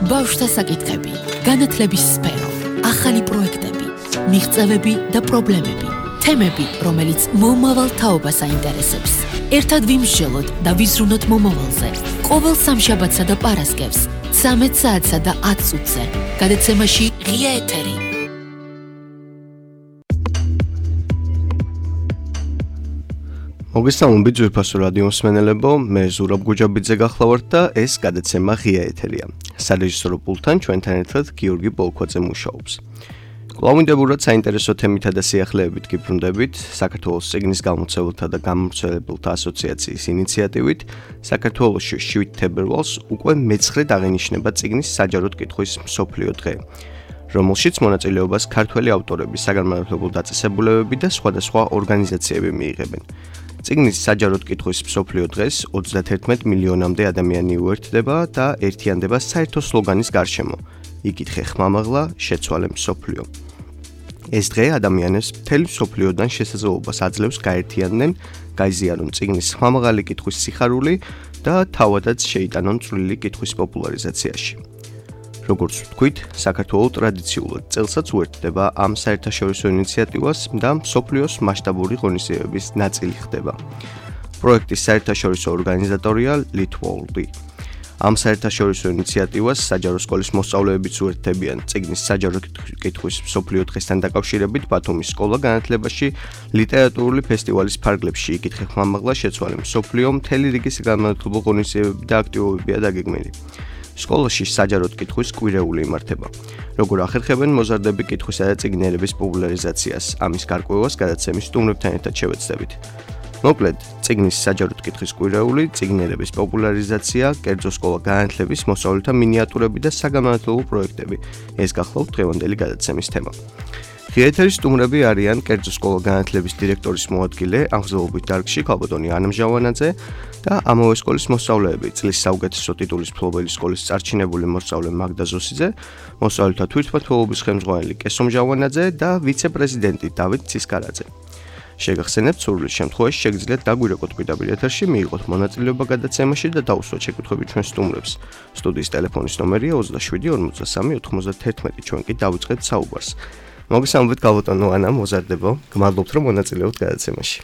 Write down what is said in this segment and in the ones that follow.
ბავშვთა საკითხები, განათლების სფერო, ახალი პროექტები, მიღწევები და პრობლემები, თემები, რომელიც მომავალ თაობას აინტერესებს. ერთად ვიმსჯელოთ და ვიზრუნოთ მომავალზე. ყოველ სამშაბათსა და პარასკევს, 13 საათსა და 10 წუთზე. გადაცემაში ღია ეთერი. მოგესალმებით ძვირფასო რადიო მსმენელებო, მე ზურაბ გუჯაბიძე გახლავართ და ეს გადაცემა ღია ეთერია. სარეჟისორო პულტთან ჩვენთან ერთად გიორგი ბოლქვაძე მუშაობს. კვლავინდებურად საინტერესო თემითა და სიახლეებით გიბრუნდებით საქართველოს წიგნის გამომცემელთა და გამომცემლებელთა ასოციაციის ინიციატივით საქართველოში 7 თებერვალს უკვე მე-9 აღინიშნება წიგნის საჯაროდ კითხვის მსოფლიო დღე, რომელშიც მონაწილეობას ქართველი ავტორები, საგანმანათლებლო დაწესებულებები და სხვადასხვა ორგანიზაციები მიიღებენ. წიგნის საჯაროდ კითხვის მსოფლიო დღეს 31 მილიონამდე ადამიანი უერთდება და ერთიანდება საერთო სლოგანის გარშემო. იკითხე ხმამაღლა, შეცვალე მსოფლიო. ეს დღე ადამიანებს მთელი მსოფლიოდან შესაძლებლობას აძლევს გაერთიანდნენ, გაიზიარონ წიგნის ხმამაღალი კითხვის სიხარული და თავადაც შეიტანონ წვლილი კითხვის პოპულარიზაციაში. როგორც ვთქვით, საქართველო ტრადიციულად წელსაც უერთდება ამ საერთაშორისო ინიციატივას და მსოფლიოს მასშტაბური ღონისძიებების ნაწილი ხდება. პროექტის საერთაშორისო ორგანიზატორია Litworld. ამ საერთაშორისო ინიციატივას საჯარო სკოლის მოსწავლეებიც უერთდებიან წიგნის საჯარო კითხვის მსოფლიო დღესთან დაკავშირებით ბათუმის სკოლა განათლებაში ლიტერატურული ფესტივალის ფარგლებში იკითხე ხმამაღლა, შეცვალე მსოფლიო, მთელი რიგი საგანმანათლებლო ღონისძიებები და აქტივობებია დაგეგმილი. სკოლაში საჯაროდ კითხვის კვირეული იმართება. როგორ ახერხებენ მოზარდები კითხვისა და წიგნიერების პოპულარიზაციას, ამის გარკვევას გადაცემის სტუმრებთან ერთად შევეცდებით. მოკლედ, წიგნის საჯაროდ კითხვის კვირეული, წიგნიერების პოპულარიზაცია, კერძო სკოლა განათლების მოსწავლეთა მინიატურები და საგანმანათლებლო პროექტები. ეს გახლავთ დღევანდელი გადაცემის თემა. ღია ეთერის სტუმრები არიან კერძო სკოლა განათლების დირექტორის მოადგილე, აღზრდობით დარგში ქალბატონი ანა მჟავანაძე და ამავე სკოლის მოსწავლეები, წლის საუკეთესო ტიტულის მფლობელი სკოლის წარჩინებული მოსწავლე მაგდა ზოსიძე, მოსწავლეთა თვითმმართველობის ხელმძღვანელი კესო მჟავანაძე და ვიცე-პრეზიდენტი დავით ცისკარაძე. შეგახსენებთ, სურვილის შემთხვევაში შეგიძლიათ დაგვირეკოთ პირდაპირ ეთერში, მიიღოთ მონაწილეობა გადაცემაში და დაუსვათ შეკითხვები ჩვენ სტუმრებს. სტუდიის ტელეფონის ნომერია 27 43 91, ჩვენ კი დავიწყებთ საუბარს. მოგესალმებით ქალბატონო ანა, მოზარდებო. გმადლობთ რომ მონაწილეობთ გადაცემაში.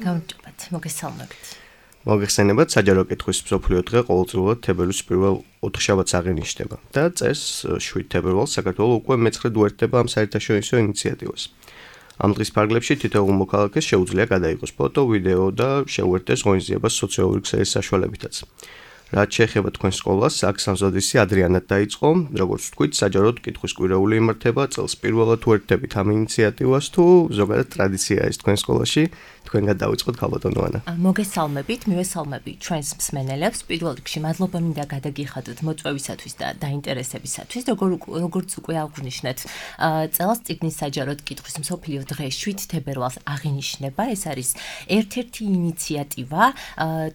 გამარჯობათ, მოგესალმებით. მოგეხსენებათ, საჯარო კითხვის მსოფლიო დღე ყოველწლიურად თებერვლის პირველ ოთხშაბათს აღინიშნება და წეს 7 თებერვალს საქართველო უკვე მე-9 უერთდება ამ საერთაშორისო ინიციატივას. ამ დღის ფარგლებში თითოეულ მოქალაქეს შეუძლია გადაიღოს ფოტო, ვიდეო და შეუერთდეს ღონისძიებას სოციალური ქსელის საშუალებითაც. რაც შეეხება თქვენ სკოლას, აქ სამზადისი ადრიანად დაიწყო, როგორც ვთქვით, საჯაროდ კითხვის კვირეული იმართება, წელს პირველად უერთდებით ამ ინიციატივას თუ ზოგადად ტრადიციაა ეს თქვენ სკოლაში, თქვენგან დავიწყოთ ქალბატონო ანა. მოგესალმებით, მივესალმები ჩვენს მსმენელებს. პირველ რიგში მადლობა მინდა გადაგიხადოთ მოწვევისათვის და დაინტერესებისათვის. როგორც უკვე აღვნიშნეთ, წელს წიგნის საჯაროდ კითხვის მსოფლიო დღე 7 თებერვალს აღინიშნება. ეს არის ერთ-ერთი ინიციატივა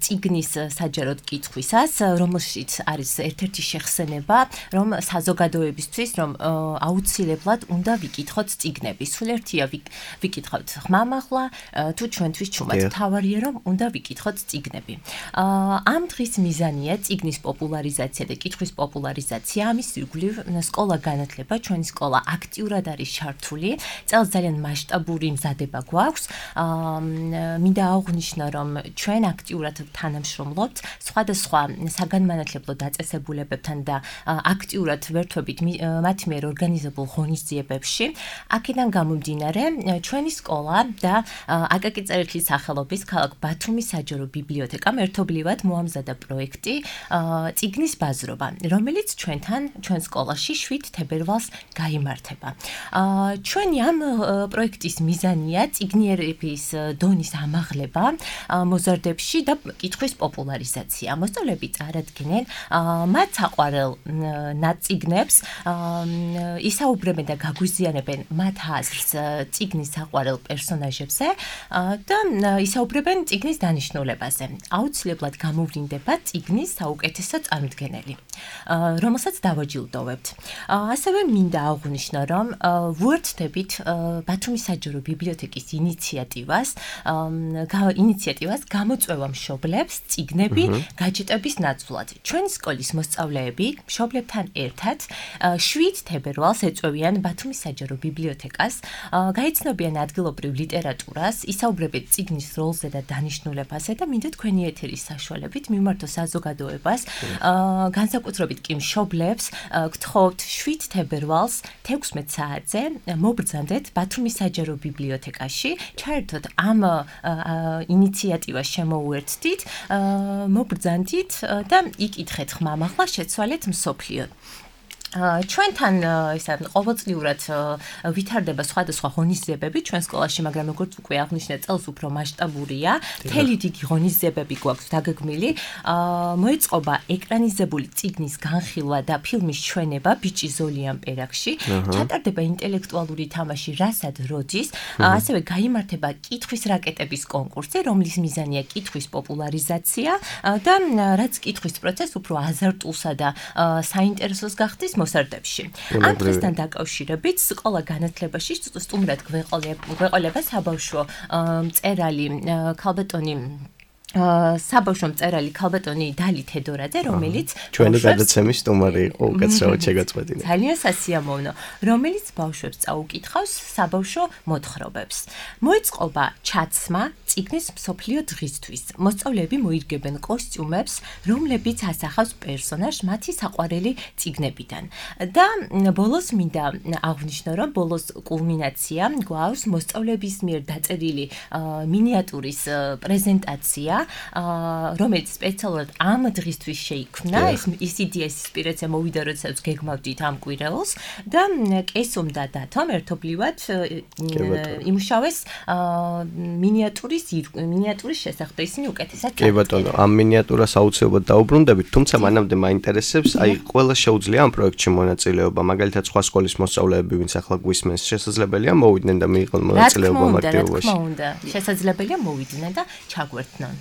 წიგნის საჯაროდ კითხვისა, რომელშიც არის ერთ-ერთი შეხსენება, რომ საზოგადოებისთვის, რომ აუცილებლად უნდა ვიკითხოთ წიგნები. სულ ერთია ვიკითხოთ ხმამაღლა თუ ჩვენთვის ჩუმად. თავარია რომ უნდა ვიკითხოთ წიგნები. ამ დღის მიზანია წიგნის პოპულარიზაცია და კითხვის პოპულარიზაცია. ამის ირგვლივ სკოლა განათლება, ჩვენი სკოლა აქტიურად არის ჩართული. წელს ძალიან მასშტაბური მზადება გვაქვს. მინდა აღვნიშნო, რომ ჩვენ აქტიურად თანამშრომლობთ სხვადასხვა საგანმანათლებლო დაწესებულებებთან და აქტიურად ვერთვებით მათ მიერ ორგანიზებულ ღონისძიებებში. აქედან გამომდინარე, ჩვენი სკოლა და აკაკი წერეთლის სახელობის ქალაქ ბათუმის საჯარო ბიბლიოთეკამ ერთობლივად მოამზადა პროექტი წიგნის ბაზრობა, რომელიც ჩვენ სკოლაში 7 თებერვალს გაიმართება. ჩვენი ამ პროექტის მიზანია წიგნიერების დონის ამაღლება მოზარდებში და კითხვის პოპულარიზაცია. მოსწავლეები წარადგენენ მათ საყვარელ ნაწიგნებს, ისაუბრებენ და გაგვიზიანებენ მათ აზრს წიგნის საყვარელ პერსონაჟებზე და ისაუბრებენ წიგნის დანიშნულებაზე. აუცილებლად გამოვლინდება წიგნის საუკეთესო წარმოდგენელი, რომელსაც დავაჯილდოვებთ. ასევე მინდა აღვნიშნო, რომ ვუერთდებით ბათუმის საჯარო ბიბლიოთეკის ინიციატივას გამოწვევა მშობლებს წიგნები გაჯიტები განათლების ნაცვლად. ჩვენი სკოლის მოსწავლეები მშობლებთან ერთად 7 თებერვალს ეწვევიან ბათუმის საჯარო ბიბლიოთეკას, გაიცნობიან ადგილობრივ ლიტერატურას, ისაუბრებენ წიგნის როლზე და დანიშნულებაზე და მინდა თქვენი ეთერის საშუალებით მიმართო საზოგადოებას, განსაკუთრებით კი მშობლებს გთხოვთ 7 თებერვალს 16 საათზე მობრძანდეთ ბათუმის საჯარო ბიბლიოთეკაში, ჩაერთოთ ამ ინიციატივას შემოუერთდით, მობრძანდით და იკითხეთ ხმამაღლა, შეცვალეთ მსოფლიო. ჩვენთან ყოველწლიურად ვითარდება სხვადასხვა ღონისძიებები ჩვენ სკოლაში, მაგრამ როგორც უკვე აღნიშნეთ, წელს უფრო მასშტაბურია. მთელი დიდი ღონისძიებები გვაქვს დაგეგმილი. მოეწყობა ეკრანიზებული წიგნის განხილვა და ფილმის ჩვენება ბიჭი ზოლიან პერაკში. ჩატარდება ინტელექტუალური თამაში რასად როდის. ასევე გაიმართება კითხვის რაკეტების კონკურსი, რომლის მიზანია კითხვის პოპულარიზაცია და რაც კითხვის პროცესს უფრო აზარტულსა და საინტერესოს გახდის მოსარდებში. ამ დღესთან დაკავშირებით სკოლა განათლებაში სტუმრად გვეყოლება საბავშვო მწერალი ქალბატონი საბავშვო მწერალი ქალბატონი დალი თედორაძე, რომელიც ჩვენი გადაცემის სტუმარი იყო უკაცრავად შეგაწყვეტინა. ძალიან სასიამოვნო, რომელიც ბავშვებს წაუკითხავს საბავშვო მოთხრობებს. მოეწყობა ჩაცმა წიგნის მსოფლიო დღისთვის. მოსწავლეები მოირგებენ კოსტიუმებს, რომლებიც ასახავს პერსონაჟს მათი საყვარელი წიგნებიდან. და ბოლოს მინდა აღვნიშნო, რომ ბოლოს კულმინაცია გვაქვს მოსწავლეების მიერ დაწერილი მინიატურის პრეზენტაცია, რომელიც სპეციალურად ამ დღისთვის შეიქმნა. ის იდეა ინსპირაცია მოვიდა, როდესაც გეგმავდით ამ კვირეულს და კესუმ და დათომ ერთობლივად იმუშავეს მინიატურის შესახებ. ისინი უკეთესად კი ბატონო, ამ მინიატურას აუცილებლად დაუბრუნდებით, თუმცა მანამდე მაინტერესებს, ყველა შეუძლია ამ პროექტში მონაწილეობა, მაგალითად სხვა სკოლის მოსწავლეები, ვინც ახლა გვისმენს, შესაძლებელია მოვიდნენ და მიიღონ მონაწილეობა ამ აქტივობაში. რა თქმა უნდა, შესაძლებელია მოვიდნენ და ჩაგვერთნან.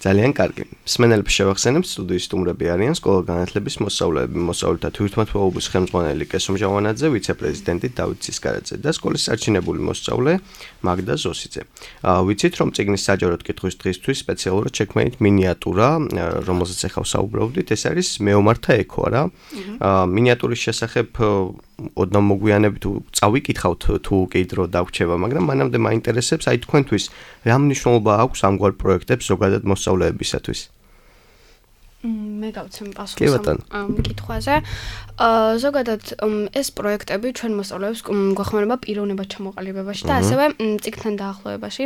ძალიან კარგი. მსმენელებს შევახსენებთ, სტუდიის სტუმრები არიან სკოლა განათლების მოსწავლეები, მოსწავლეთა თვითმმართველობის ხელმძღვანელი კესუმ ჟავანაძე, ვიცე-პრეზიდენტი დავით ცისკარაძე და სკოლის სარჩინებული მოსწავლე მაგდა ზოსიძე. ვიცით, რომ წიგნის საჯაროდ კითხვის დღისთვის სპეციალურად შექმნით მინიატურა, რომელზეც ახლა საუბრობდით, ეს არის მეომართა ექო, რა. მინიატურის შესახებ ოდნავ მოგვიანებით წავიკითხავთ თუ კი დრო დაგვრჩება, მაგრამ მანამდე მაინტერესებს, თქვენთვის რა მნიშვნელობა აქვს ამგვარ პროექტებს ზოგადად მოსწავლეებისათვის? მე გავცემ პასუხს ამ კითხვაზე. ზოგადად ეს პროექტები ჩვენ მოსწავლეებს გვეხმარება პიროვნებად ჩამოყალიბებაში და ასევე წიგნთან დაახლოებაში.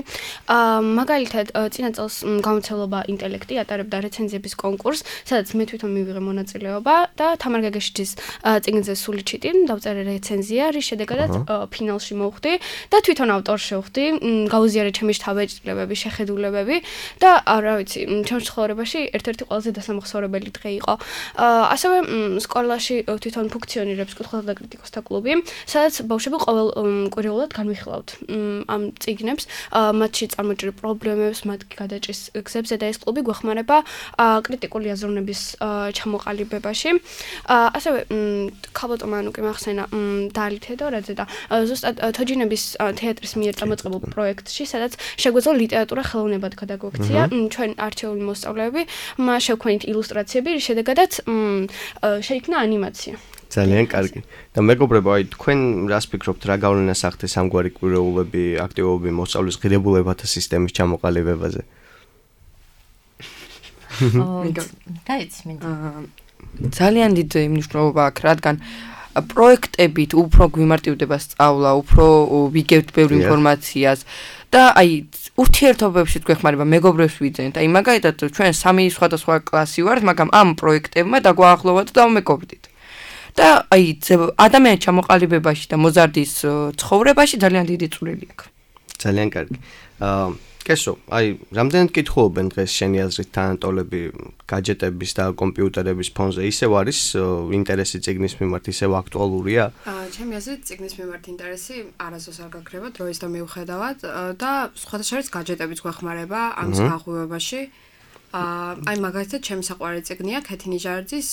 მაგალითად, წინა წელს გამოცემლობა ინტელექტი ატარებდა რეცენზიების კონკურსს, სადაც მე თვითონ მივიღე მონაწილეობა და თამარ გაგეშიძის წიგნზე სული ჩიტი დავწერე რეცენზია, რის შედეგადაც ფინალში მოვხვდი და თვითონ ავტორს შევხვდი, გაუზიარე ჩემი შთაბეჭდილებები, შეხედულებები და რა ვიცი, ჩემს ცხოვრებაში ერთ-ერთი ყველაზე დასამახსოვრებელი დღე იყო. ასევე სკოლაში თვითონ ფუნქციონირებს კითხველთა და კრიტიკოსთა კლუბი, სადაც ბავშვები ყოველ კვირეულად განვიხილავთ ამ წიგნებს, მათში წარმოჭრილ პრობლემებს, მათ გადაჭრის გზებზე და ეს კლუბი გვეხმარება კრიტიკული აზროვნების ჩამოყალიბებაში. ასევე ქალბატონმა უკვე მახსენა დალი თედორაძე და ზუსტად თოჯინების თეატრის მიერ წამოწყებულ პროექტში, სადაც შეგვეძლო ლიტერატურა ხელოვნებად გადაგვექცია. ჩვენ არჩეული მოსწავლეები შევქმნით ილუსტრაციები, რის შედეგადაც შეიქმნა ანიმაცია. ძალიან კარგი. და მეგობრებო, თქვენ რას ფიქრობთ, რა გავლენას ახდენს ამგვარი კვირეულები, აქტივობები მოსწავლის ღირებულებათა სისტემის ჩამოყალიბებაზე? ძალიან დიდი მნიშვნელობა აქვს, რადგან პროექტებით უფრო გვიმარტივდება სწავლა, უფრო ვიგებთ ბევრ ინფორმაციას და ურთიერთობებში გვეხმარება, მეგობრებს ვიძენთ. მაგალითად, ჩვენ 3 სხვადასხვა კლასი ვართ, მაგრამ ამ პროექტებმა დაგვაახლოვა და დავმეგობრდით. და ადამიანის ჩამოყალიბებაში და მოზარდის ცხოვრებაში ძალიან დიდი წვლილი აქვს. ძალიან კარგი. კესო, რამდენად კითხულობენ დღეს შენი აზრით თანატოლები გაჯეტების და კომპიუტერების ფონზე? ისევ არის ინტერესი წიგნის მიმართ, ისევ აქტუალურია? ჩემი აზრით წიგნის მიმართ ინტერესი არასდროს არ გაქრება, დროის და მიუხედავად და სხვათა შორის გაჯეტებიც გვეხმარება ამის გაღვივებაში. მაგალითად, ჩემი საყვარელი წიგნია ქეთი ნიჟარძის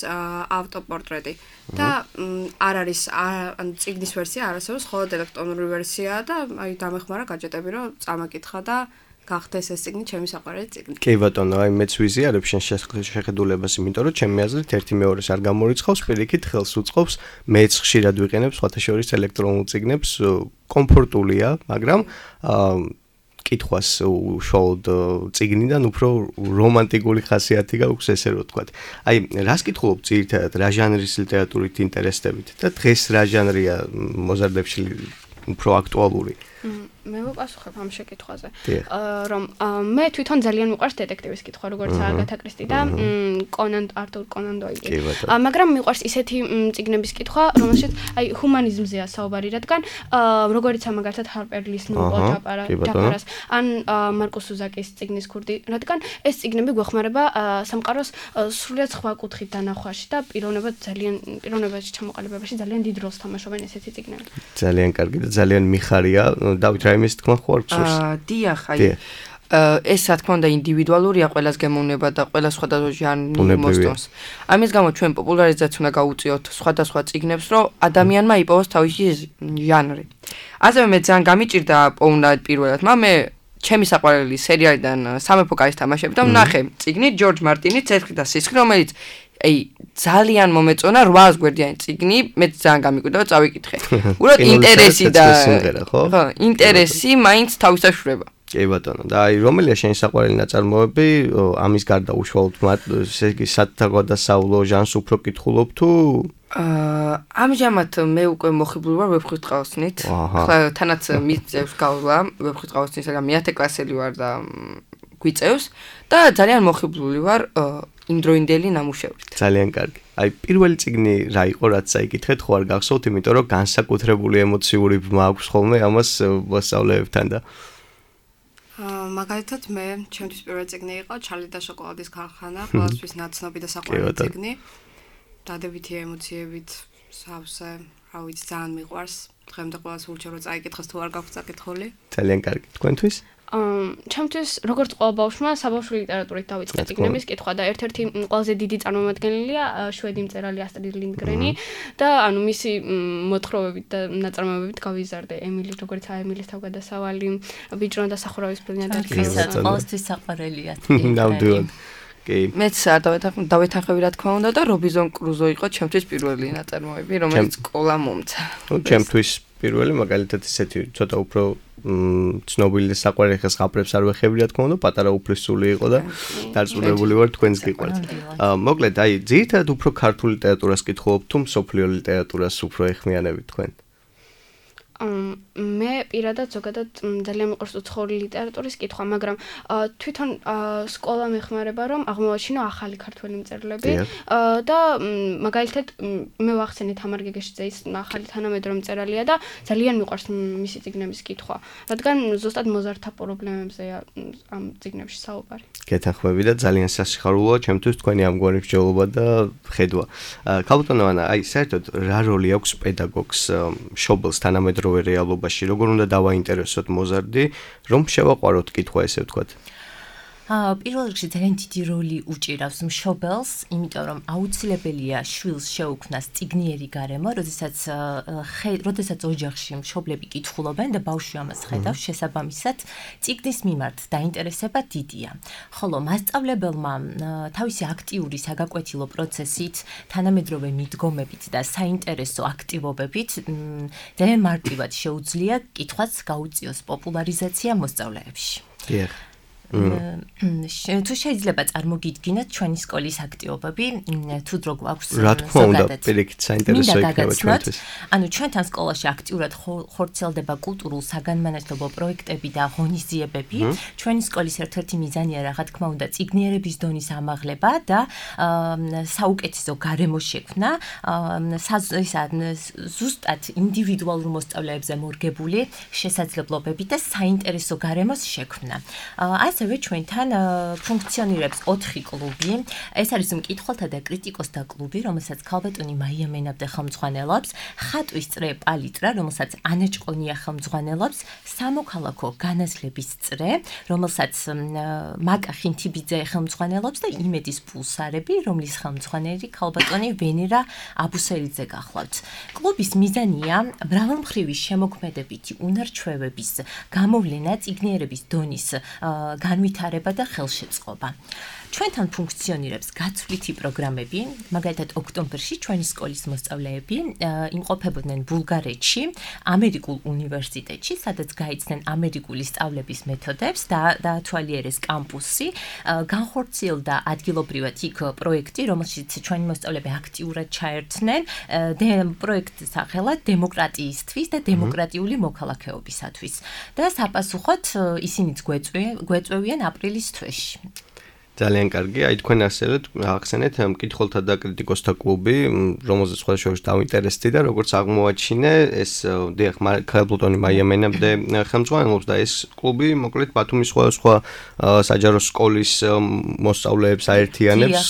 ავტოპორტრეტი და არ არის წიგნის ვერსია არასდროს, ხოლო ელექტრონური ვერსიაა და დამეხმარა გაჯეტები, რომ წამაკითხა და გახდეს ეს წიგნი ჩემი საყვარელი წიგნი. კი ბატონო, აი მეც ვიზიარებ შენ შეხედულებას, იმიტომ რომ ჩემი აზრით ერთი მეორეს არ გამორიცხავს, პირიქით ხელს უწყობს, მეც ხშირად ვიყენებ სხვათა შორის ელექტრონულ წიგნებს, კომფორტულია, მაგრამ კითხვას უშუალოდ წიგნიდან უფრო რომანტიკული ხასიათი გაქვს, ესე რომ ვთქვათ. აი, რას კითხულობ ძირითადად, რა ჟანრის ლიტერატურით ინტერესდებით და დღეს რა ჟანრია მოზარდებში უფრო აქტუალური? მე ვაპასუხებ ამ შეკითხვაზე. რომ მე თვითონ ძალიან მიყვარს დეტექტივის კითხვა, როგორც აგათა კრისტი და არტურ კონან დოილი. მაგრამ მიყვარს ისეთი წიგნების კითხვა, რომელშიც აი ჰუმანიზმზეა საუბარი, რადგან როგორიცაა მაგალითად ჰარპერ ლის ნუ-პორტაპარას ან მარკუს სუზაკის წიგნის ქურდი, რადგან ეს წიგნები გვეხმარება სამყაროს სრულიად სხვა კუთხით დანახვაში და პიროვნებაში ჩამოყალიბებაში ძალიან დიდ როლს თამაშობენ ესეთი წიგნები. ძალიან კარგი და ძალიან მიხარია. დავით რაიმეს თქმა ხო არ გსურს? დიახ, აი ეს რა თქმა უნდა ინდივიდუალურია, ყველას გემოვნება და ყველა სხვადასხვა ჟანრი მოსწონს. ამის გამო ჩვენ პოპულარიზაციას უნდა გავუწიოთ სხვადასხვა წიგნებს, რომ ადამიანმა იპოვოს თავისი ჟანრი. ასევე მე ძალიან გამიჭირდა პოვნა პირველად, მე ჩემი საყვარელი სერიალიდან სამეფო კარის თამაშები და ვნახე წიგნი ჯორჯ მარტინის ცეცხლი და სისხლი, რომელიც აი ძალიან მომეწონა 800 გვერდიანი წიგნი, მე ძალიან გამიკვირდა და წავიკითხე. უბრალოდ ინტერესი და ხო, ინტერესი მაინც თავისაშურება. კი ბატონო, და აი რომელია შენი საყვარელი ნაწარმოები, ამის გარდა უშუალოდ ესე იგი სათაგვადასავლო ჟანრს უფრო კითხულობ თუ ამჟამად მე უკვე მოხიბლული ვარ ვეფხვით ყავსნით. ახლა თანაც მიწევს გავლა ვეფხვით ყავსნის, მაგრამ მე-10 კლასელი ვარ და გვიწევს და ძალიან მოხიბლული ვარ იმდროინდელი ნამუშევრით. ძალიან კარგი. აი პირველი წიგნი რა იყო, რაც საიკითხეთ, ხო არ გახსოვთ, იმიტომ რომ განსაკუთრებული ემოციური ბმა აქვს ხოლმე ამას მოსწავლეებთან და მაგალითად მე ჩემთვის პირველი წიგნი იყო ჩარლი და შოკოლადის ქარხანა, ყველასთვის ნაცნობი და საყვარელი წიგნი. დადებითი ემოციებით სავსე, რა ვიცი, ძალიან მიყვარს. დღემდე ყველას ურჩევ რომ წაიკითხოს თუ არ გაქვს წაკითხული. ძალიან კარგი. თქვენთვის? ჩემთვის როგორც ყველა ბავშვმა საბავშვო ლიტერატურით დავიწყე წიგნების კითხვა და ერთ-ერთი ყველაზე დიდი წარმომადგენელია შვედი მწერალი ასტრიდ ლინდგრენი და ანუ მისი მოთხრობებით და ნაწარმოებებით გავიზარდე ემილი, როგორც ემილის თავგადასავალი, ბიჭუნა და სახურავის ფილმი და ყოველთვის საყვარელია. ნამდვილად. კი. მეც დავეთანხმები რა თქმა უნდა და რობინზონ კრუზო იყო ჩემთვის პირველი ნაწარმოები, რომელიც სკოლა მომცა. ჩემთვის პირველი მაგალითად ისეთი ცოტა უფრო ცნობილი და საყვარელი ხეს ხაპრებს არ ვეხები რა თქმა უნდა, პატარა უფლისწული იყო და დარწმუნებული ვარ თქვენს გიყვართ. მოკლედ, აი ძირითადად უფრო ქართული ლიტერატურას კითხულობ თუ მსოფლიო ლიტერატურას უფრო ეხმიანებით თქვენ? მე პირადად ზოგადად ძალიან მიყვარს უცხოური ლიტერატურის კითხვა, მაგრამ თვითონ სკოლა მეხმარება რომ აღმოვაჩინო ახალი ქართველი მწერლები და მაგალითად მე ვახსენე თამარ გეგეშიძის ახალი თანამედროვე მწერალია და ძალიან მიყვარს მისი წიგნების კითხვა, რადგან ზუსტად მოზარდთა პრობლემებზეა ამ წიგნებში საუბარი. გეთანხმები და ძალიან სასიხარულოა ჩემთვის თქვენი ამგვარი მსჯელობა და ხედვა. ქალბატონო ანა, აი საერთოდ რა როლი აქვს პედაგოგს მშობელს თანამედროვე რეალობაში, როგორ უნდა დავაინტერესოთ მოზარდი, რომ შევაყვაროთ კითხვა, ესე ვთქვათ. პირველ რიგში ძალიან დიდი როლი უჭირავს მშობელს, იმიტომ რომ აუცილებელია შვილს შეუქმნას წიგნიერი გარემო, როდესაც ოჯახში მშობლები კითხულობენ და ბავშვი ამას ხედავს, შესაბამისად წიგნის მიმართ დაინტერესება დიდია. ხოლო მასწავლებელმა თავისი აქტიური საგაკვეთილო პროცესით, თანამედროვე მიდგომებით და საინტერესო აქტივობებით ძალიან მარტივად შეუძლია კითხვას გაუწიოს პოპულარიზაცია მოსწავლეებში. თუ შეიძლება წარმოგიდგინოთ ჩვენი სკოლის აქტივობები, თუ დრო გვაქვს რა თქმა უნდა, პირიქით საინტერესო იქნება ჩვენთვის. ანუ ჩვენთან სკოლაში აქტიურად ხორციელდება კულტურულ საგანმანათლებლო პროექტები და ღონისძიებები. ჩვენი სკოლის ერთ-ერთი მიზანია რა თქმა უნდა წიგნიერების დონის ამაღლება და საუკეთესო გარემო შექმნა, ზუსტად ინდივიდუალურ მოსწავლეებზე მორგებული შესაძლებლობები და საინტერესო გარემოს შექმნა. ასევე ჩვენთან ფუნქციონირებს 4 კლუბი. ეს არის მკითხველთა და კრიტიკოსთა კლუბი, რომელსაც ქალბატონი მაია მენაბდე ხელმძღვანელობს, ხატვის წრე პალიტრა, რომელსაც ანა ჭყონია ხელმძღვანელობს, სამოქალაქო განათლების წრე, რომელსაც მაკა ხინთიბიძე ხელმძღვანელობს და იმედის პულსარები, რომლის ხელმძღვანელი ქალბატონი ვენერა აბუსელიძე გახლავთ. კლუბის მიზანია მრავალმხრივი შემოქმედებითი უნარჩვევების გამოვლენა, წიგნიერების დონის განვითარება და ხელშეწყობა. ჩვენთან ფუნქციონირებს გაცვლითი პროგრამები, მაგალითად ოქტომბერში ჩვენი სკოლის მოსწავლეები იმყოფებოდნენ ბულგარეთში, ამერიკულ უნივერსიტეტში, სადაც გაიცნენ ამერიკული სწავლების მეთოდებს და დაათვალიერეს კამპუსი, განხორციელდა ადგილობრივად იქ პროექტი, რომელშიც ჩვენი მოსწავლეები აქტიურად ჩაერთნენ, პროექტის სახელად დემოკრატიისთვის და დემოკრატიული მოქალაქეობისათვის. და საპასუხოდ ისინიც გვეწვევიან აპრილის თვეში. ძალიან კარგი, აი თქვენ ახსენეთ მკითხველთა და კრიტიკოსთა კლუბი, რომელზეც სხვადასხვა დავინტერესდი და როგორც აღმოაჩინე, ეს დიახ, ქალბატონი მაია მენაბდე ხელმძღვანელობს და ეს კლუბი მოკლედ ბათუმის სხვადასხვა საჯარო სკოლის მოსწავლეებს აერთიანებს.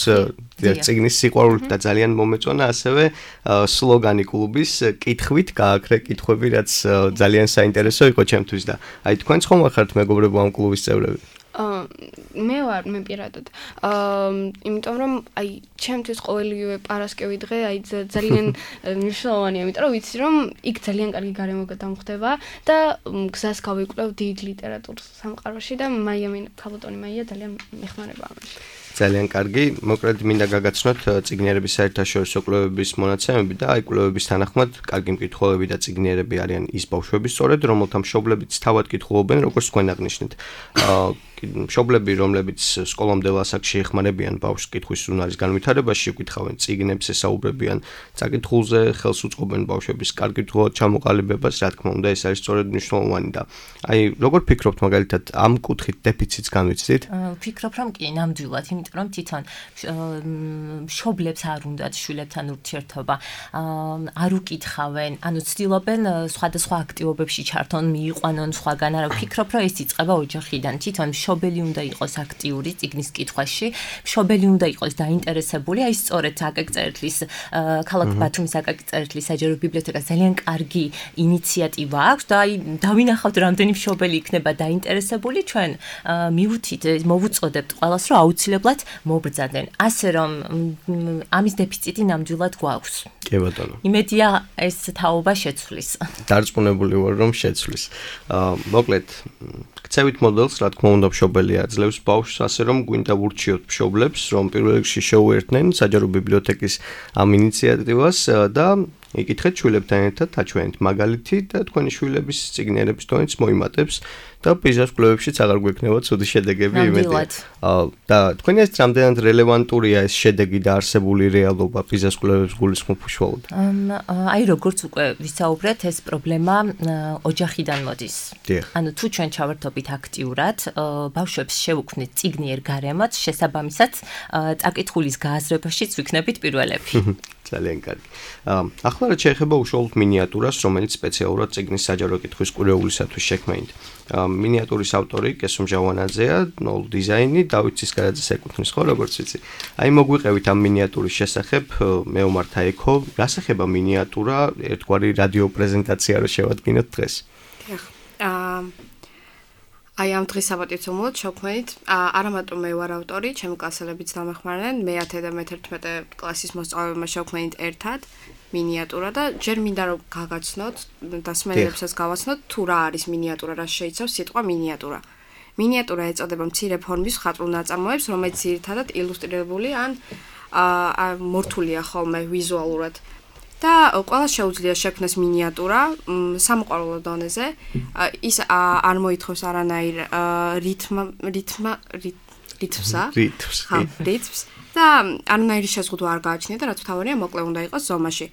წიგნის სიყვარულით და ძალიან მომეწონა ასევე სლოგანი კლუბის კითხვით გააქრე კითხვები, რაც ძალიან საინტერესო იყო ჩემთვის და აი თქვენც ხომ ხართ მეგობრებო ამ კლუბის წევრები? მე პირადად. იმიტომ რომ აი ჩემთვის ყოველივე პარასკევი დღე აი ძალიან მნიშვნელოვანია, იმიტომ რომ ვიცი რომ იქ ძალიან კარგი გარემო დამხდება და გზას გავიკვლევ დიდ ლიტერატურულ სამყაროში და ქალბატონი მაია ძალიან მეხმარება ამაში. ძალიან კარგი, მოკლედ მინდა გაგაცნოთ წიგნიერების საერთაშორისო კვლევების მონაცემები და აი კვლევების თანახმად კარგი მკითხველები და წიგნიერები არიან ის ბავშვები სწორედ, რომელთა მშობლებიც თავად კითხულობენ, როგორც თქვენ აღნიშნეთ. მშობლები, რომლებიც სკოლამდელ ასაკში ეხმარებიან ბავშვს კითხვის უნარის განვითარებაში, უკითხავენ წიგნებს, ესაუბრებიან წაკითხულზე, ხელს უწყობენ ბავშვების კარგი თვალ ჩამოყალიბებას, რა თქმა უნდა, ეს არის სწორედ მნიშვნელოვანი და აი როგორ ფიქრობთ მაგალითად ამ კუთხით დეფიციტს განვიცდით? ვფიქრობ, რომ კი, ნამდვილად, იმიტომ რომ თვითონ მშობლებს არ უნდათ შვილებთან ურთიერთობა, არ უკითხავენ, ანუ ცდილობენ სხვადასხვა აქტივობებში ჩართონ, მიიყვანონ სხვაგან, არა ვფიქრობ, რომ ეს იწყება ოჯახიდან, თვითონ მშობელი უნდა იყოს აქტიური წიგნის კითხვაში, მშობელი უნდა იყოს დაინტერესებული, აი სწორედ აკაკ-წერეთლის ქალაქ ბათუმის აკაკ-წერეთლის საჯარო ბიბლიოთეკას ძალიან კარგი ინიციატივა აქვს და აი დავინახავთ რამდენი მშობელი იქნება დაინტერესებული, ჩვენ მივუთით, მოვუწოდებთ ყველას, რომ აუცილებლად მობრძადნენ. ასე რომ ამის დეფიციტი ნამდვილად გვაქვს. კი ბატონო. იმედია ეს თაობა შეცვლის. დარწმუნებული ვარ რომ შეცვლის. მოკლედ ქცევით მოდელს, რა თქმა უნდა, მშობელი აძლევს ბავშვს, ასე რომ გვინდა ვურჩიოთ მშობლებს, რომ პირველ რიგში შეუერთდნენ საჯარო ბიბლიოთეკის ამ ინიციატივას და იკითხეთ შვილებთან ერთად აჩვენეთ მაგალითი და თქვენი შვილების წიგნიერების დონეც მოიმატებს და პიზას კვლევებშიც აღარ გვექნება ცუდი შედეგები იმედია. და თქვენი ეს რამდენად რელევანტურია ეს შედეგი და არსებული რეალობა პიზას კვლევებს გულისხმობ უშუალოდ? აი როგორც უკვე ვისაუბრეთ, ეს პრობლემა ოჯახიდან მოდის. ანუ თუ ჩვენ ჩავერთობთ აქტიურად, ბავშვებს შევუქმნით წიგნიერ გარემოც, შესაბამისად წაკითხulis გააზრებაშიც ვიქნებით პირველები. ძალიან კარგი. ახლა რა შეეხება უშუალოდ მინიატურას, რომელიც სპეციალურად წიგნის საჯარო კითხვის კურეულისათვის შექმნით. მინიატურის ავტორი კესო მჟავანაძეა, ნოლ დიზაინი, დავით ცისკარაძეს ეკუთვნის, ხო, როგორც ვიცი. აი მოგვიყევით ამ მინიატურის შესახებ, მეომარ თაიქო, რა სახება მინიატურა, ერთგვარი რადიო პრეზენტაცია რო შევადგინოთ დღეს. აი ამ დღის საპატივცემულოდ შევქმნით, არა მარტო მე ვარ ავტორი, ჩემი კლასელებიც დამეხმარნენ, მე-10 და მე-11 კლასის მოსწავლეებმა შევქმნით ერთად მინიატურა და ჯერ მინდა რომ გაგაცნოთ და სმენელებსაც გავაცნოთ თუ რა არის მინიატურა, რა შეიცავს სიტყვა მინიატურა. მინიატურა ეწოდება მცირე ფორმის ხატრულ ნაწარმოებს, რომელიც ძირითადად ილუსტრირებული ან მორთულია ხოლმე ვიზუალურად. და ყველა შეუძლია შექმნას მინიატურა სამოყვარულო დონეზე. ის არ მოითხოვს არანაირ რითმს და არანაირი შეზღუდვა არ გააჩნია და რაც მთავარია, მოკლე უნდა იყოს ზომაში.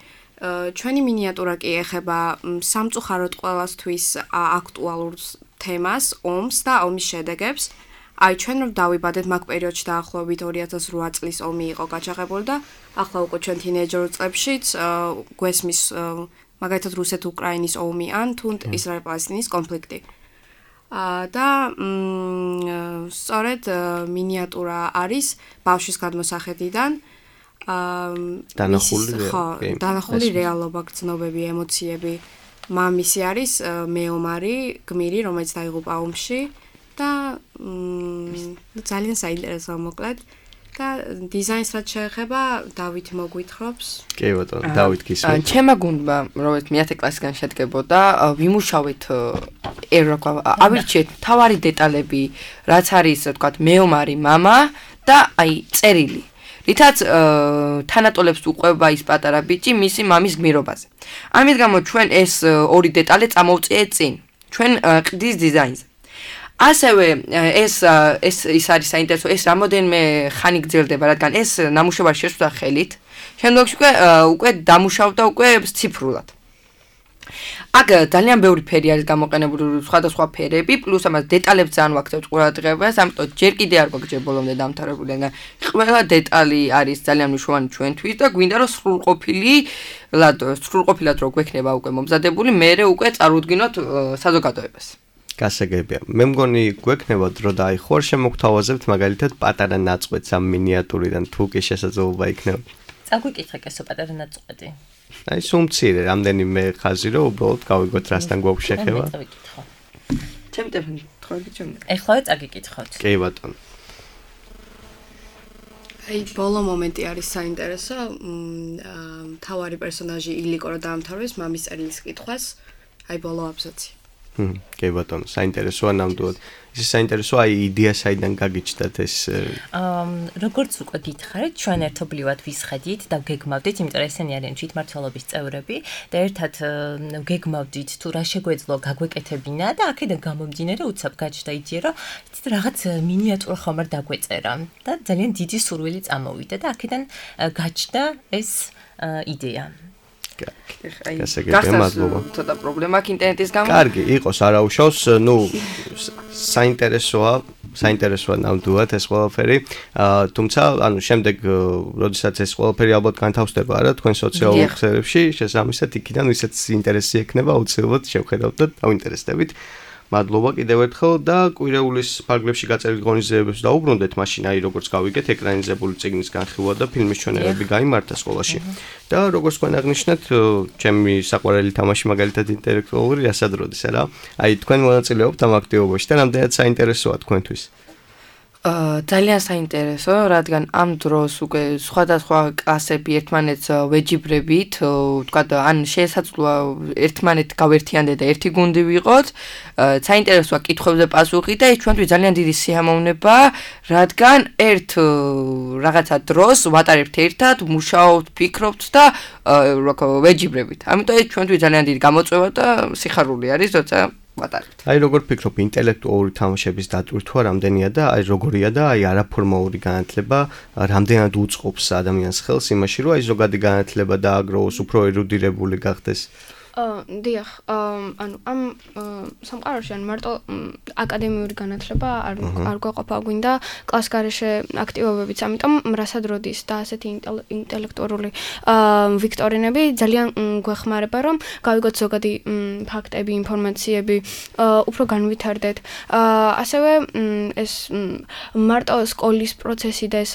ჩვენი მინიატურა კი ეხება სამწუხაროდ ყველასთვის აქტუალურ თემას, ომს და ომის შედეგებს. აი ჩვენ რომ დავიბადეთ მაგ პერიოდში დაახლოებით 2008 წლის ომი იყო გაჩაღებული და ახლა უკვე ჩვენ თინეიჯერ წლებშიც გვესმის მაგალითად რუსეთ-უკრაინის ომი ან თუ ისრაელ-პალესტინის კონფლიქტი. და სწორედ მინიატურა არის ბავშვის გადმოსახედიდან დანახული რეალობა, გრძნობები, ემოციები. მამისი არის მეომარი, გმირი, რომელიც დაიღუპა ომში და ძალიან საინტერესოა მოკლედ. და დიზაინს რაც შეეხება, დავით მოგვითხრობს. კი ბატონო, დავით გისმენთ. ჩემმა გუნდმა, რომელიც მე-10 კლასიდან შედგებოდა, ვიმუშავეთ ავირჩიეთ თავარი დეტალები, რაც არის, ასე ვთქვათ, მეომარი, მამა და აი წერილი. რითაც თანატოლებს უყვება ის პატარა ბიჭი მისი მამის გმირობაზე. ამის გამო ჩვენ ეს ორი დეტალი წამოვწიეთ წინ. ჩვენ ყდის დიზაინზე. ასევე ეს ის არის საინტერესო, ეს რამოდენმე ხანი გრძელდება, რადგან ეს ნამუშევარი შეცვლა ხელით. შემდგომში უკვე დამუშავდა უკვე ციფრულად. აქ ძალიან ბევრი ფერი არის გამოყენებული, სხვადასხვა ფერები, პლუს ამას დეტალებს ძალიან ვაქცევთ ყურადღებას, ამიტომ ჯერ კიდე არ გვაქვს ბოლომდე დამთავრებული, მაგრამ ყველა დეტალი არის ძალიან მნიშვნელოვანი ჩვენთვის და გვინდა რომ სრულყოფილად რო გვექნება უკვე მომზადებული, მერე უკვე წარუდგინოთ საზოგადოებას. გასაგებია. მე მგონი გვექნება დრო და აი ხوار შემოგთავაზებთ მაგალითად პატარა ნაწყვეტს ამ მინიატურიდან თუ კი შესაძლებლობა იქნება. წაგვიკითხე კესო პატარა ნაწყვეტი. აი სუმცირე, რამდენიმე ხაზი რომ უბრალოდ გავიგოთ რასთან გვაქვს შეხება. ჩემი ტელეფონი თხოვდი ჩემი. ეხლავე წაგიკითხოთ. კი ბატონო. აი ბოლო მომენტი არის საინტერესო. თავარი პერსონაჟი ილიკო რო დაამთავრებს მამის წერილის კითხვას. აი ბოლო აბზაცი. კი ბატონო, საინტერესოა ნამდვილად. ის საინტერესოა იდეა საიდან გაგიჩნდათ ეს როგორც უკვე გითხარით, ჩვენ ერთობლივად ვისხედით და ვგეგმავდით, იმიტომ რომ ესენი არიან თვითმმართველობის წევრები და ერთად ვგეგმავდით თუ რა შეგვეძლო გაგვეკეთებინა და აქედან გამომდინარე უცებ გაჩნდა იდეა, რომ იცით რაღაც მინიატურა ხომ არ დაგვეწერა და ძალიან დიდი სურვილი წამოვიდა და აქედან გაჩნდა ეს იდეა. გასაგებია, მადლობა. ცოტა პრობლემა აქვს ინტერნეტის გამო. კარგი, იყოს, არაუშავს, საინტერესოა ნამდვილად ეს ყველაფერი. თუმცა, შემდეგ, როდესაც ეს ყველაფერი ალბათ განთავსდება არა თქვენ სოციალურ ქსელებში, შესაბამისად იქიდან ვისაც ინტერესი ექნება, აუცილებლად შევხედავთ და დავინტერესდებით. მადლობა კიდევ ერთხელ და კვირეულის ფარგლებში გაწერილ ღონისძიებებს დაუბრუნდეთ, მაშინ აი როგორც გავიგეთ, ეკრანიზებული წიგნის განხილვა და ფილმის ჩვენებები გაიმართა სკოლაში. და როგორც თქვენ აღნიშნეთ, ჩემი საყვარელი თამაში მაგალითად ინტელექტუალური რასადროდის არა? აი თქვენ მონაწილეობთ ამ აქტივობაში და რამდენად საინტერესოა თქვენთვის? ძალიან საინტერესო, რადგან ამ დროს უკვე სხვადასხვა კლასები ერთმანეთს ვეჯიბრებით, ვთქვათ, ან შესაძლოა ერთმანეთ გავერთიანდეთ და ერთი გუნდი ვიყოთ. საინტერესოა კითხვებზე პასუხი და ეს ჩვენთვის ძალიან დიდი სიამოვნება, რადგან ერთ რაღაცა დროს ვატარებთ ერთად, მუშაობთ, ფიქრობთ და ვეჯიბრებით. ამიტომ ეს ჩვენთვის ძალიან დიდი გამოწვევა და სიხარული არის, როცა ვატარებთ. აი როგორ ფიქრობ, ინტელექტუალური თამაშების დატვირთვა რამდენია და აი როგორია და აი არაფორმალური განათლება რამდენად უწყობს ადამიანს ხელს იმაში, რომ აი ზოგადი განათლება დააგროვოს, უფრო ერუდირებული გახდეს? დიახ, ანუ ამ სამყაროში ან მარტო აკადემიური განათლება არ გვაყოფა, გვინდა კლასგარეშე აქტივობებიც, ამიტომ რასაც როდის და ასეთი ინტელექტუალური ვიქტორინები ძალიან გვეხმარება, რომ გავიგოთ ზოგადი ფაქტები, ინფორმაციები, უფრო განვითარდეთ. ასევე ეს მარტო სკოლის პროცესი და ეს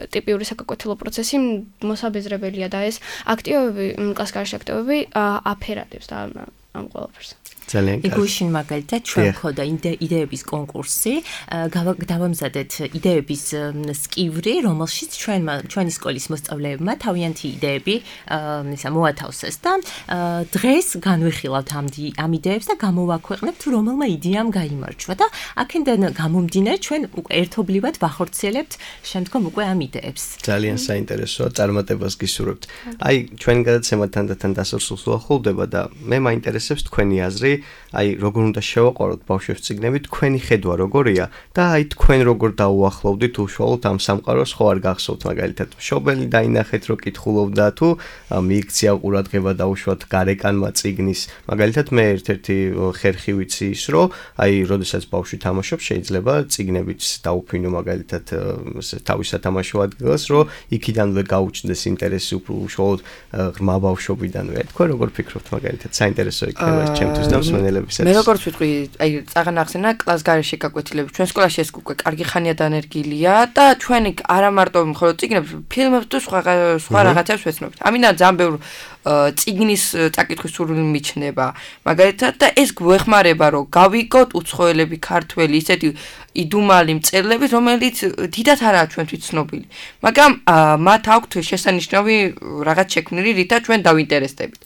ტიპიური საკაკვეთილო პროცესი მოსაბეზრებელია და ეს აქტივობები, კლასგარეშე აქტივობები აფერა და ამ ყველაფერს. ძალიან კარგი. იგუშინ მაგალითად ჩვენ ხოდა იდეების კონკურსი, დავამზადეთ იდეების სკივრი, რომელშიც ჩვენი სკოლის მოსწავლეებმა თავიანთი იდეები მოათავსეს და დღეს განვიხილავთ ამ იდეებს და გამოვაქვეყნებთ რომელმა იდეამ გაიმარჯვა და აქედან გამომდინარე ჩვენ ერთობლივად ვახორციელებთ შემდგომ უკვე ამ იდეებს. ძალიან საინტერესოა, წარმატებას გისურვებთ. აი ჩვენი გადაცემა თანდათან დასასრულს უახლოვდება და მე მაინტერესებს თქვენი აზრი. აი როგორ უნდა შევაყაროთ ბავშვებს წიგნები, თქვენი ხედვა როგორია და აი თქვენ როგორ დაუახლოვდით უშუალოდ ამ სამყაროს, ხო არ გახსოვთ მაგალითად მშობელი დაინახეთ რომ კითხულობდა თუ მიიქცია ყურადღება დაუშვათ გარეკანმა წიგნის. მაგალითად მე ერთ-ერთი ხერხი ვიცი ის რომ აი როდესაც ბავშვი თამაშობს შეიძლება წიგნებით დაუფინო მაგალითად თავის სათამაშო ადგილას რომ იქიდანვე გაუჩნდეს ინტერესი უშუალოდ ღრმა ბავშვობიდანვე. თქვენ როგორ ფიქრობთ მაგალითად საინტერესო იქნება ჩემთვის და მსმენელებისაც. მე როგორც ვიტყვი, აი წაღან ახსენა კლას გარეშე გაკვეთილები. ჩვენ სკოლაში ეს უკვე კარგი ხანია დანერგილია და ჩვენ არა მარტო მხოლოდ წიგნებს, ფილმებს თუ სხვა რაღაცებს ვეცნობთ. ამიტომ ძალიან ბევრ წიგნის წაკითხვის სურვილი მიჩნდება. მაგალითად და ეს გვეხმარება რომ გავიგოთ უცხოელები, ქართველი, ისეთი იდუმალი მწერლები, რომელიც დიდად არაა ჩვენთვის ცნობილი. მაგრამ მათ აქვთ შესანიშნავი რაღაც შექმნილი, რითაც ჩვენ დავინტერესდებით.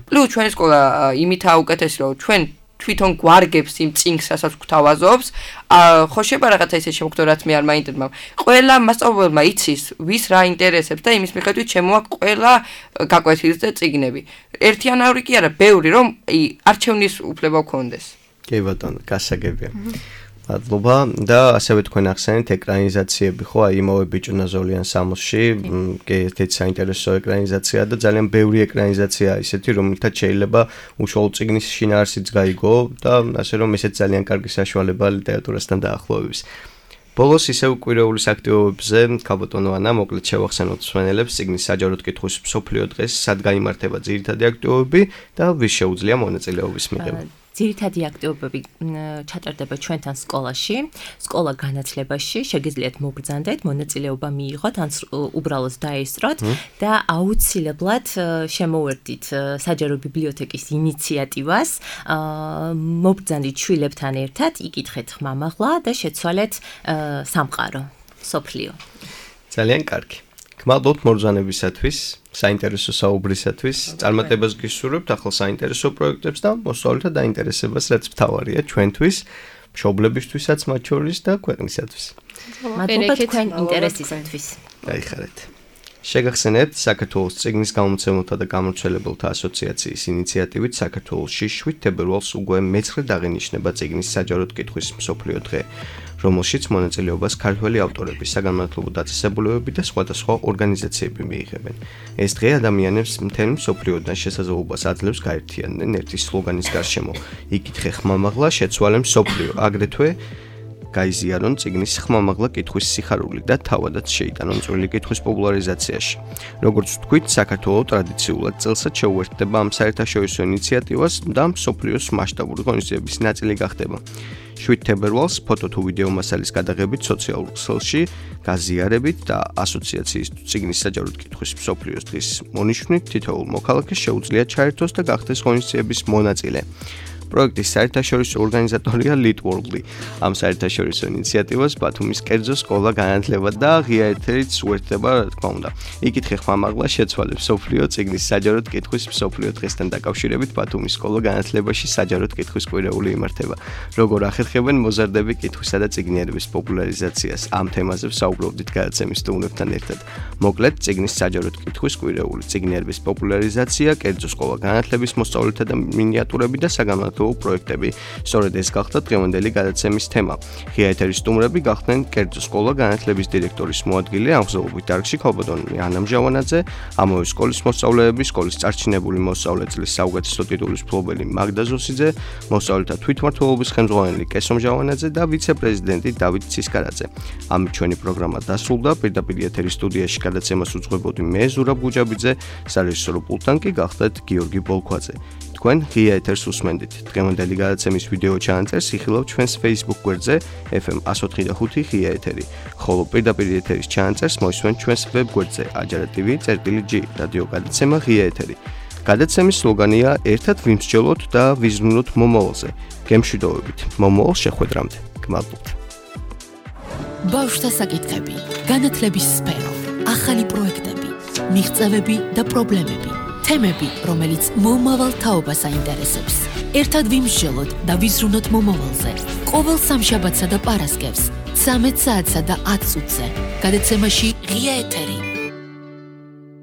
პლუს ჩვენი სკოლა იმითაა უკეთესი, რომ ჩვენ თვითონ გვარგებს იმ წიგნს, რასაც გვთავაზობს. ხო შეება რაღაცა ისე შემოგხვდა, რაც მე არ მაინტერესებდა. ყველა მასწავლებელმა იცის, ვის რა ინტერესებს და იმის მიხედვით შემოაქვს ყველა გაკვეთილის და წიგნები. ერთიანაური კი არა, ბევრი, რომ არჩევნის უფლება გქონდეს. კი ბატონო, გასაგებია. მადლობა და ასევე თქვენ ახსენეთ ეკრანიზაციები, ხო, აი იმავე ბიჭუნაზოლიან სამოსში, კი ერთ-ერთი საინტერესო ეკრანიზაცია და ძალიან ბევრი ეკრანიზაცია ისეთი, რომელთაც შეიძლება უშუალო წიგნის შინაარსიც გაიგო და ასე რომ ესეც ძალიან კარგი საშუალება ლიტერატურასთან დაახლოების. ბოლოს ისევ კვირეულის აქტივობებზე ქალბატონო ანა მოკლედ შევახსენოთ მსმენელებს წიგნის საჯაროდ კითხვის მსოფლიო დღეს, სად გაიმართება ძირითადი აქტივობები და ვის შეუძლია მონაწილეობის მიღება. ძირითადი აქტივობები ჩატარდება ჩვენთან სკოლაში, სკოლა განათლებაში, შეგიძლიათ მოგბრძანდეთ, მონაწილეობა მიიღოთ, ან უბრალოდ დაესწროთ და აუცილებლად შემოვერთდით საჯარო ბიბლიოთეკის ინიციატივას, მოგბრძანდით შვილებთან ერთად, იკითხეთ ხმამაღლა და შეცვალეთ სამყარო, სოფლიო. ძალიან კარგი. გმადლობთ მობრძანებისათვის, საინტერესო საუბრისათვის, წარმატებას გისურვებთ ახალ საინტერესო პროექტებს და მოსწავლეთა დაინტერესებას, რაც მთავარია ჩვენთვის, მშობლებისთვისაც მათ შორის და ქვეყნისათვის. მადლობა თქვენ ინტერესისათვის. გაიხარეთ. შეგახსენებთ საქართველოს წიგნის გამომცემელთა და გამომცემლებელთა ასოციაციის ინიციატივით საქართველოში 7 თებერვალს უკვე მეცხრედ აღინიშნება წიგნის საჯაროდ კითხვის მსოფლიო დღე, რომელშიც მონაწილეობას ქართველი ავტორები, საგანმანათლებლო დაწესებულებები და სხვადასხვა ორგანიზაციები მიიღებენ. ეს დღე ადამიანებს მთელ მსოფლიოდან შესაძლებლობას აძლევს გაერთიანდნენ ერთი სლოგანის გარშემო: იკითხე ხმამაღლა, შეცვალე მსოფლიო, აგრეთვე გაიზიარონ წიგნის ხმამაღლა კითხვის სიხარული და თავადაც შეიტანონ წვრილი კითხვის პოპულარიზაციაში. როგორც ვთქვით, საქართველოს ტრადიციულად წელსაც შეუერთდება ამ საერთაშორისო ინიციატივას და მსოფლიოს მასშტაბური ღონისძიების ნაწილი გახდება. 7 თებერვალს ფოტო თუ ვიდეო მასალის გადაღებით სოციალურ ქსელში გაზიარებით და ასოციაციის წიგნის საჯაროდ კითხვის მსოფლიოს დღის მონიშნით თითოეულ მოქალაქეს შეუძლია ჩაერთოს და გახდეს ღონისძიების მონაწილე. პროექტის საერთაშორისო ორგანიზატორია ლიტვორლი. ამ საერთაშორისო ინიციატივას ბათუმის კერძო სკოლა განათლება და ღია ეთერით უერთდება, რა თქმა უნდა. იკითხე ხმამაღლა, შეცვალე მსოფლიო წიგნის საჯაროდ კითხვის მსოფლიო დღესთან დაკავშირებით ბათუმის სკოლა განათლებაში საჯაროდ კითხვის კვირეული იმართება. როგორ ახერხებენ მოზარდები კითხვისა და წიგნიერების პოპულარიზაციას? ამ თემაზე ვსაუბრობდით გადაცემის სტუმრებთან ერთად. მოკლედ, წიგნის საჯაროდ კითხვის კვირეული, წიგნიერების პოპულარიზაცია, კერძო სკოლა განათლების მოსწავლეთა და მინიატურები და საგანმანათლებლო პროექტები. სწორედ ეს გახდა დღევანდელი გადაცემის თემა. ღია ეთერის სტუმრები გახდნენ კერძო სკოლა განათლების დირექტორის მოადგილე, აღზრდობით დარგში ქალბატონი ანა მჟავანაძე, ამავე სკოლის მოსწავლეები, სკოლის წარჩინებული მოსწავლე წლის საუკეთესო ტიტულის მფლობელი მაგდა ზოსიძე, მოსწავლეთა თვითმმართველობის ხელმძღვანელი კესო მჟავანაძე და ვიცე-პრეზიდენტი დავით ცისკარაძე. ამით ჩვენი პროგრამა დასრულდა. პირდაპირ ეთერის სტუდიაში გადაცემას უძღვებოდი მე ზურაბ გუჯაბიძე, სარეჟისორო პულტთან კი გახდათ გიორგი ბოლქვაძე. თქვენ ღია ეთერს უსმენდით. დღევანდელი გადაცემის ვიდეო ჩანაწერს იხილავთ ჩვენს Facebook გვერდზე FM 104.5 ღია ეთერი. ხოლო პირდაპირ ეთერის ჩანაწერს მოისმენთ ჩვენს ვებ გვერდზე ajara.tv/g რადიო გადაცემა ღია ეთერი. გადაცემის სლოგანია ერთად ვიმსჯელოთ და ვიზრუნოთ მომავალზე. გემშვიდობებით. მომავალ შეხვედრამდე. გმადლობთ. ბავშვთა საკითხები, განათლების სფერო, ახალი პროექტები, მიღწევები და პრობლემები. თემები, რომელიც მომავალ თაობას აინტერესებს. ერთად ვიმსჯელოთ და ვიზრუნოთ მომავალზე. ყოველ სამშაბათსა და პარასკევს 13 საათსა და 10 წუთზე. გადაცემაში ღია ეთერი.